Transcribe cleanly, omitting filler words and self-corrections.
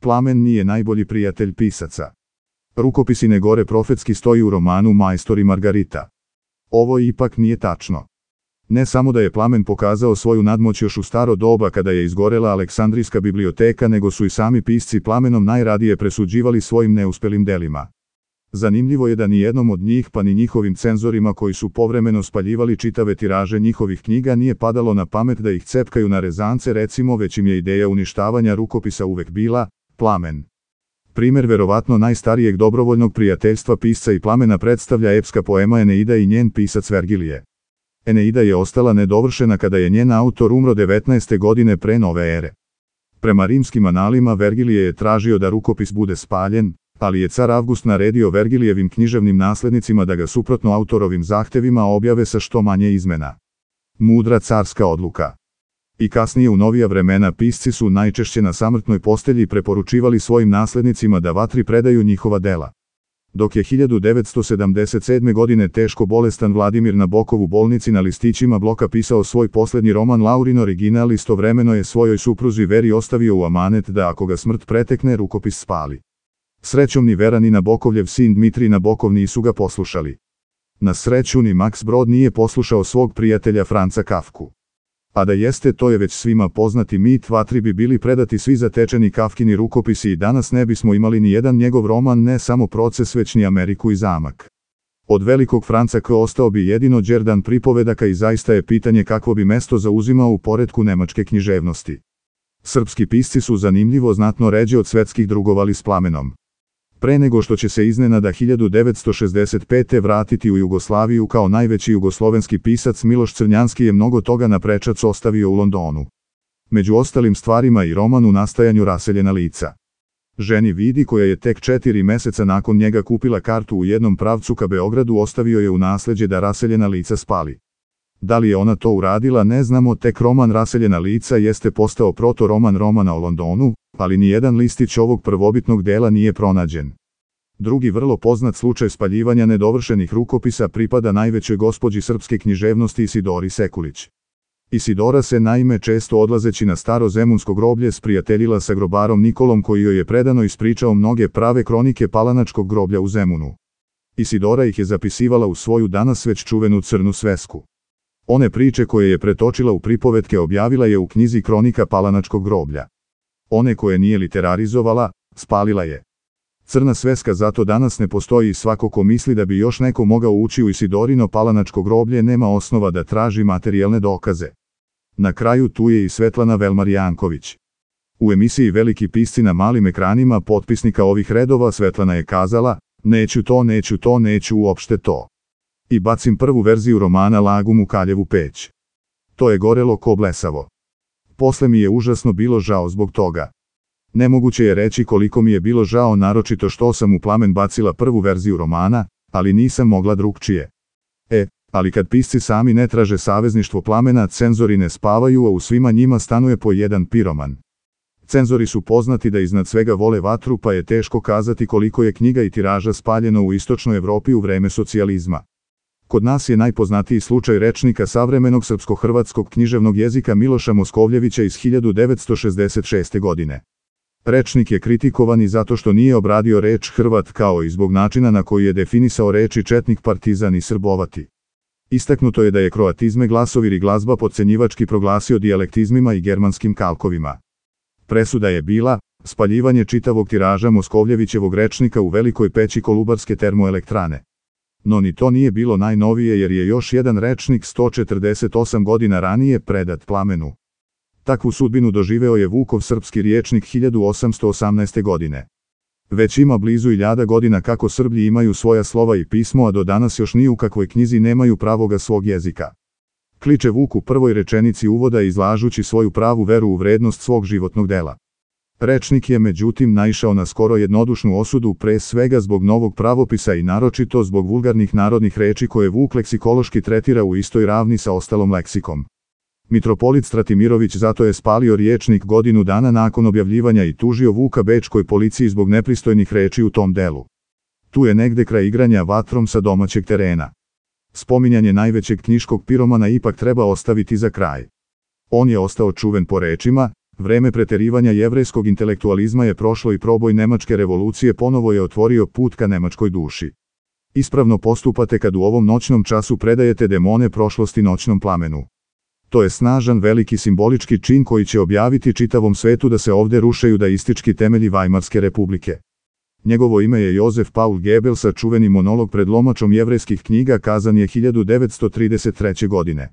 Plamen nije najbolji prijatelj pisaca. Rukopisi ne gore profetski stoji u romanu Majstor i Margarita. Ovo ipak nije tačno. Ne samo da je Plamen pokazao svoju nadmoć još u staro doba kada je izgorela Aleksandrijska biblioteka, nego su i sami pisci Plamenom najradije presuđivali svojim neuspelim delima. Zanimljivo je da ni jednom od njih pa ni njihovim cenzorima koji su povremeno spaljivali čitave tiraže njihovih knjiga nije padalo na pamet da ih cepkaju na rezance, recimo, već im je ideja uništavanja rukopisa uvek bila Plamen. Primer verovatno najstarijeg dobrovoljnog prijateljstva pisca i Plamena predstavlja epska poema Eneida i njen pisac Vergilije. Eneida je ostala nedovršena kada je njen autor umro 19. godine pre nove ere. Prema rimskim analima Vergilije je tražio da rukopis bude spaljen, ali je car Avgust naredio Vergilijevim književnim naslednicima da ga suprotno autorovim zahtevima objave sa što manje izmena. Mudra carska odluka. I kasnije u novija vremena pisci su najčešće na samrtnoj postelji preporučivali svojim naslednicima da vatri predaju njihova dela. Dok je 1977. godine teško bolestan Vladimir Nabokov u bolnici na listićima bloka pisao svoj poslednji roman Laurin original, istovremeno je svojoj supruzi Veri ostavio u amanet da ako ga smrt pretekne rukopis spali. Srećom ni Vera ni Nabokovljev sin Dmitrij Nabokov nisu ga poslušali. Na sreću ni Max Brod nije poslušao svog prijatelja Franca Kafku. A da jeste, to je već svima poznati mit, vatri bi bili predati svi zatečeni Kafkini rukopisi i danas ne bismo imali ni jedan njegov roman, ne samo Proces, već ni Ameriku i zamak. Od velikog Franca K. ostao bi jedino Đerdan pripovedaka i zaista je pitanje kakvo bi mesto zauzimao u poretku nemačke književnosti. Srpski pisci su zanimljivo znatno ređe od svetskih drugovali s Plamenom. Pre nego što će se iznenada 1965. vratiti u Jugoslaviju kao najveći jugoslovenski pisac, Miloš Crnjanski je mnogo toga na prečac ostavio u Londonu. Među ostalim stvarima i roman u nastajanju Raseljena lica. Ženi Vidi, koja je tek 4 meseca nakon njega kupila kartu u jednom pravcu ka Beogradu, ostavio je u nasleđe da Raseljena lica spali. Da li je ona to uradila ne znamo, tek roman Raseljena lica jeste postao protoroman romana o Londonu, ali nijedan listić ovog prvobitnog dela nije pronađen. Drugi vrlo poznat slučaj spaljivanja nedovršenih rukopisa pripada najvećoj gospođi srpske književnosti Isidori Sekulić. Isidora se naime često odlazeći na staro zemunsko groblje sprijateljila sa grobarom Nikolom, koji joj je predano ispričao mnoge prave kronike palanačkog groblja u Zemunu. Isidora ih je zapisivala u svoju danas već čuvenu crnu svesku. One priče koje je pretočila u pripovetke objavila je u knjizi Kronika palanačkog groblja. One koje nije literarizovala, spalila je. Crna sveska zato danas ne postoji i svako ko misli da bi još neko mogao ući u Isidorino palanačko groblje nema osnova da traži materijalne dokaze. Na kraju tu je i Svetlana Velmar Janković. U emisiji Veliki pisci na malim ekranima potpisnika ovih redova Svetlana je kazala: neću uopšte to. I bacim prvu verziju romana Lagum u Kaljevu peć. To je gorelo ko blesavo. Posle mi je užasno bilo žao zbog toga. Nemoguće je reći koliko mi je bilo žao, naročito što sam u Plamen bacila prvu verziju romana, ali nisam mogla drugčije. Ali kad pisci sami ne traže savezništvo Plamena, cenzori ne spavaju, a u svima njima stanuje po jedan piroman. Cenzori su poznati da iznad svega vole vatru, pa je teško kazati koliko je knjiga i tiraža spaljeno u istočnoj Evropi u vreme socijalizma. Kod nas je najpoznatiji slučaj rečnika savremenog srpsko-hrvatskog književnog jezika Miloša Moskovljevića iz 1966. godine. Rečnik je kritikovan i zato što nije obradio reč Hrvat, kao i zbog načina na koji je definisao reči četnik, partizan i srbovati. Istaknuto je da je kroatizme, glasovir i glazba potcenjivački proglasio dijalektizmima i germanskim kalkovima. Presuda je bila spaljivanje čitavog tiraža Moskovljevićevog rečnika u Velikoj peći Kolubarske termoelektrane. No ni to nije bilo najnovije, jer je još jedan rečnik 148 godina ranije predat Plamenu. Takvu sudbinu doživeo je Vukov srpski riječnik 1818. godine. Već ima blizu 1000 godina kako Srblji imaju svoja slova i pismo, a do danas još ni u kakvoj knjizi nemaju pravoga svog jezika. Kliče Vuk u prvoj rečenici uvoda, izlažući svoju pravu veru u vrednost svog životnog dela. Rečnik je međutim naišao na skoro jednodušnu osudu, pre svega zbog novog pravopisa i naročito zbog vulgarnih narodnih reči koje Vuk leksikološki tretira u istoj ravni sa ostalom leksikom. Mitropolit Stratimirović zato je spalio riječnik godinu dana nakon objavljivanja i tužio Vuka bečkoj policiji zbog nepristojnih reči u tom delu. Tu je negde kraj igranja vatrom sa domaćeg terena. Spominjanje najvećeg knjiškog piromana ipak treba ostaviti za kraj. On je ostao čuven po rečima: Vreme preterivanja jevrejskog intelektualizma je prošlo i proboj nemačke revolucije ponovo je otvorio put ka nemačkoj duši. Ispravno postupate kad u ovom noćnom času predajete demone prošlosti noćnom plamenu. To je snažan veliki simbolički čin koji će objaviti čitavom svetu da se ovde rušaju daistički temelji Vajmarske republike. Njegovo ime je Josef Paul Goebbels, a čuveni monolog pred lomačom jevrejskih knjiga kazan je 1933. godine.